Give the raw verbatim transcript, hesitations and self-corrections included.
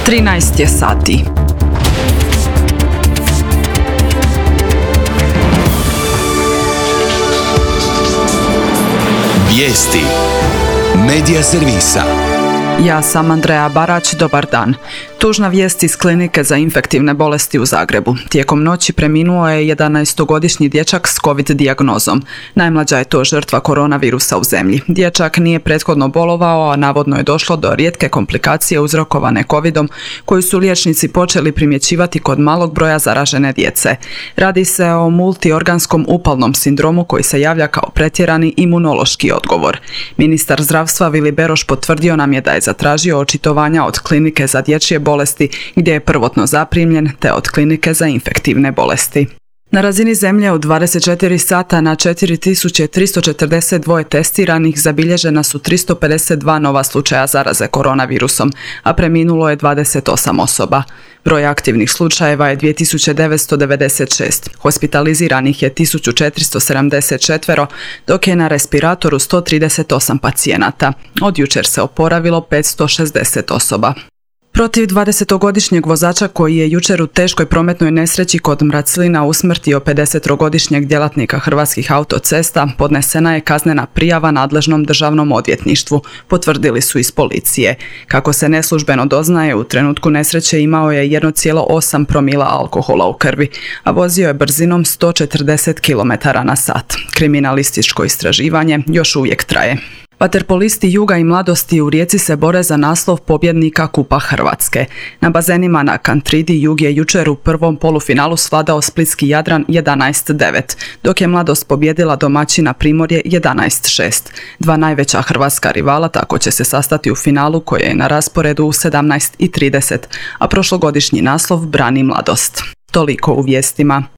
trinaest je sati. Vijesti Medija servisa. Ja sam Andreja Barać, dobar dan. Tužna vijest iz klinike za infektivne bolesti u Zagrebu. Tijekom noći preminuo je jedanaestogodišnji dječak s COVID dijagnozom. Najmlađa je to žrtva koronavirusa u zemlji. Dječak nije prethodno bolovao, a navodno je došlo do rijetke komplikacije uzrokovane covidom, koju su liječnici počeli primjećivati kod malog broja zaražene djece. Radi se o multiorganskom upalnom sindromu koji se javlja kao pretjerani imunološki odgovor. Ministar zdravstva Vili Beroš potvrdio nam je da je zatražio očitovanja od klinike za dječje bolesti gdje je prvotno zaprimljen, te od klinike za infektivne bolesti. Na razini zemlje u dvadeset četiri sata na četiri tisuće tristo četrdeset dva testiranih zabilježena su tristo pedeset dva nova slučaja zaraze koronavirusom, a preminulo je dvadeset osam osoba. Broj aktivnih slučajeva je dvije tisuće devetsto devedeset šest, hospitaliziranih je tisuću četiristo sedamdeset četiri, dok je na respiratoru sto trideset osam pacijenata. Od jučer se oporavilo petsto šezdeset osoba. Protiv dvadesetogodišnjeg vozača koji je jučer u teškoj prometnoj nesreći kod Mraclina usmrtio pedesetogodišnjeg djelatnika Hrvatskih autocesta podnesena je kaznena prijava nadležnom državnom odvjetništvu, potvrdili su iz policije. Kako se neslužbeno doznaje, u trenutku nesreće imao je jedan zarez osam promila alkohola u krvi, a vozio je brzinom sto četrdeset kilometara na sat. Kriminalističko istraživanje još uvijek traje. Vaterpolisti Juga i Mladosti u Rijeci se bore za naslov pobjednika Kupa Hrvatske. Na bazenima na Kantridi Jug je jučer u prvom polufinalu svladao splitski Jadran jedanaest devet, dok je Mladost pobjedila domaćina Primorje jedanaest šest. Dva najveća hrvatska rivala tako će se sastati u finalu koje je na rasporedu u sedamnaest i trideset, a prošlogodišnji naslov brani Mladost. Toliko u vijestima.